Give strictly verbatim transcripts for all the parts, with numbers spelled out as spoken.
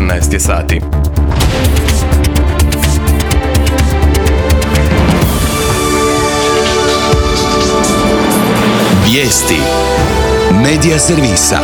četrnaest je sati. Vijesti Medija servisa.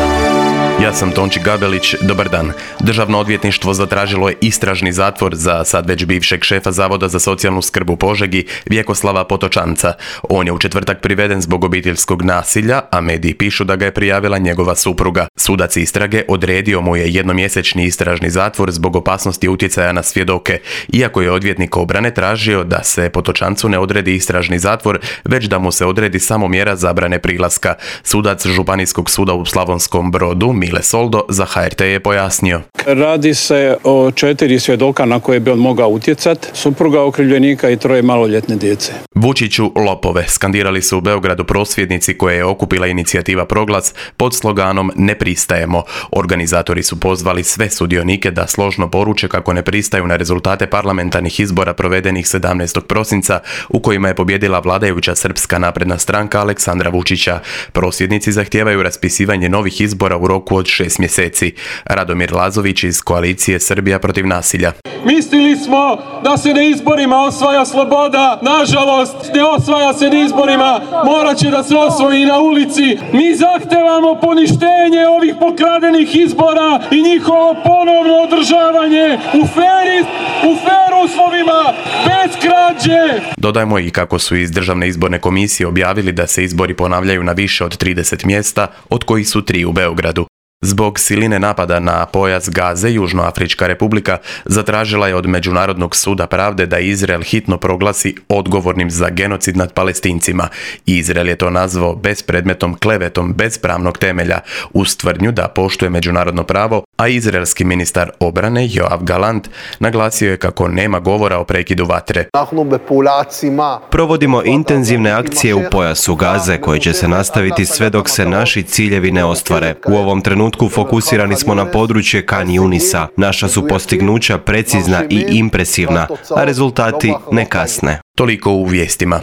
Ja sam Tonči Gabelić, dobar dan. Državno odvjetništvo zatražilo je istražni zatvor za sad već bivšeg šefa Zavoda za socijalnu skrb u Požegi, Vjekoslava Potočanca. On je u četvrtak priveden zbog obiteljskog nasilja, a mediji pišu da ga je prijavila njegova supruga. Sudac istrage odredio mu je jednomjesečni istražni zatvor zbog opasnosti utjecaja na svjedoke, iako je odvjetnik obrane tražio da se Potočancu ne odredi istražni zatvor, već da mu se odredi samo mjera zabrane prilaska. Sudac Županijskog suda u Slavonskom Brodu, Mile Soldo, za H R T je pojasnio. Radi se o četiri svjedoka na koje bi on mogao utjecati, supruga okrivljenika i troje maloljetne djece. Vučiću lopove, skandirali su u Beogradu prosvjednici koje je okupila inicijativa Proglas pod sloganom Ne pristajemo. Organizatori su pozvali sve sudionike da složno poruče kako ne pristaju na rezultate parlamentarnih izbora provedenih sedamnaestog prosinca u kojima je pobjedila vladajuća Srpska napredna stranka Aleksandra Vučića. Prosvjednici zahtijevaju raspisivanje novih izbora u roku od šest mjeseci. Radomir Lazović iz koalicije Srbija protiv nasilja. Mislili smo da se na izborima osvaja sloboda, nažalost ne osvaja se na izborima, morat će da se osvoji na ulici. Mi zahtevamo poništenje ovih pokradenih izbora i njihovo ponovno održavanje u feri, u fer uslovima, bez krađe. Dodajmo i kako su iz Državne izborne komisije objavili da se izbori ponavljaju na više od trideset mjesta, od kojih su tri u Beogradu. Zbog siline napada na pojas Gaze, Južnoafrička republika zatražila je od Međunarodnog suda pravde da Izrael hitno proglasi odgovornim za genocid nad Palestincima. Izrael je to nazvao bespredmetnom klevetom bez pravnog temelja, uz tvrdnju da poštuje međunarodno pravo, a izraelski ministar obrane Joav Galant naglasio je kako nema govora o prekidu vatre. Provodimo intenzivne akcije u pojasu Gaze koje će se nastaviti sve dok se naši ciljevi ne ostvare. U ovom trenutku fokusirani smo na područje Kan Junisa. Naša su postignuća precizna i impresivna, a rezultati ne kasne. Toliko u vijestima.